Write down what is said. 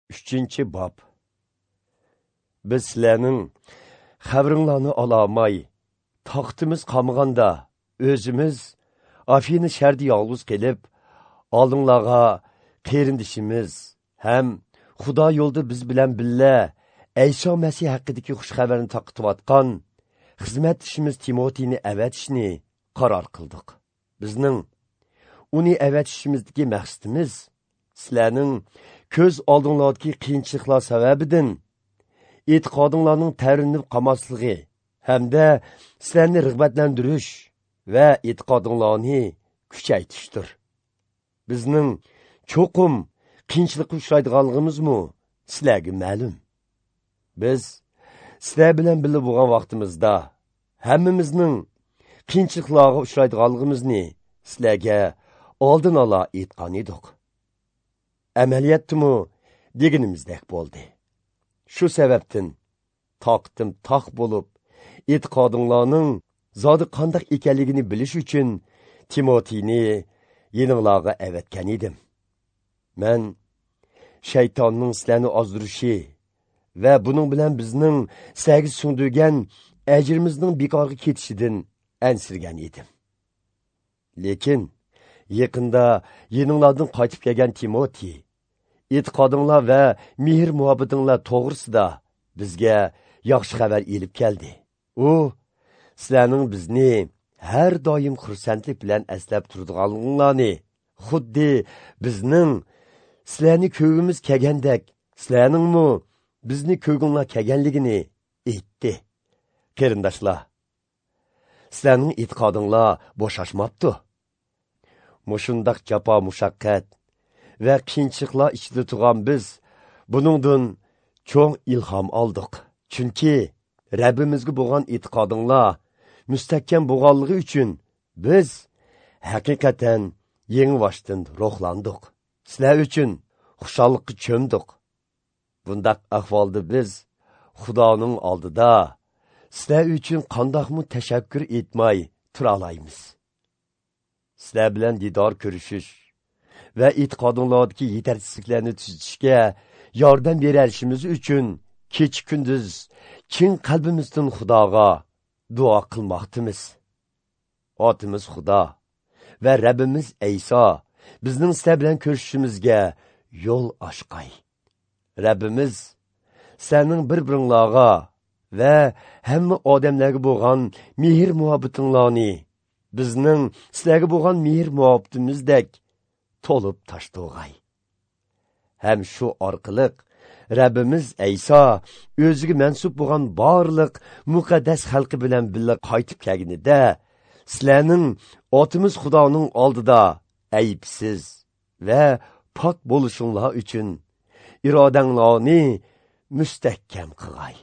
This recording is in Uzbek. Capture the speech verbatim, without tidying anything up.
Uchinchi bob. Biz sizlarning xabaringlarni olamay, taqtimiz qolmaganda o'zimiz Afina shahrida yolg'iz qilib, oldinglarga qarindishimiz ham Xudo yo'lida biz bilan birga Ayso Masih haqidagi xush xabarni tarqatayotgan xizmatchimiz Timotiyni avatishni qaror qildik. Bizning uni avatishimizdagi maqsadimiz sizlarning ko'z oldinglardagi qiyinchiliklar sababidan e'tiqodinglarning tavrinib qolmasligi hamda sizlarni rag'batlantirish va e'tiqodinglarni kuchaytirishdir. Bizning cho'qim qiyinchilikqa uchraydiganligimizmi sizlarga ma'lum. Biz sizlar bilan birga bo'lgan vaqtimizda hammamizning qiyinchiliklarga uchraydiganligimizni sizlarga oldin ola aytgan edik. Amaliyotdimi deganimizdek bo'ldi. Shu sababdan toqatim toq bo'lib, e'tiqodinglarning zodi qandoq ekanligini bilish uchun Timotiyni yeninglarga avatgan edim. Men shaytonning sizlarni ozdirishi va buning bilan bizning sizlarga singdirgan ajrimizning bekorga ketishidan ansirgan edim. Lekin yaqinda yeninglardan qaytib kelgan Timotey e'tiqodinglar va mehr muhabbatinglar to'g'risida bizga yaxshi xabar elib keldi. U sizlarning bizni har doim xursandlik bilan eslab turadiganliginglarni, xuddi bizning sizlarni ko'gimiz kelgandek, sizlarningmi bizni ko'ginglar kelganligini aytdi. Qarindoshlar, sizlarning e'tiqodinglar bo'shashmabdi. Mushundaq jafo mushaqqat va qiyinchiliklar ichida turgan biz buningdan cho'ng ilhom oldik. Chunki Rabbimizga bo'lgan e'tiqodinglar mustahkam bo'lganligi uchun biz haqiqatan yangi ruhlandik. Sizlar uchun xushallikqa cho'mdik. Bundaq ahvolda biz Xudoning oldida sizlar uchun qandoqmi tashakkur etmay tura olamiz. Sizlar bilan didor ko'rishish va e'tiqodinglardagi yetarsizliklarni tuzatishga yordam berishimiz uchun kecha kunduz chin qalbimizdan Xudoga duo qilmoqdimiz. Otimiz Xudo va Rabbimiz Ayso bizning sizlar bilan ko'rishishimizga yo'l ochqay. Rabbimiz sizlarning bir-biringlarga va hamma odamlarga bo'lgan mehr muhabbatinglarni bizning sizlarga bo'lgan mehr muhabbatimizdek to'lib toshtirg'ay. Ham shu orqali Rabbimiz Ayso o'ziga mansub bo'lgan barliq muqaddas xalqi bilan birga qaytib kelganida sizlarning otimiz Xudoning oldida aybsiz va pok bo'lishinglar uchun irodanglarni mustahkam qilg'ay.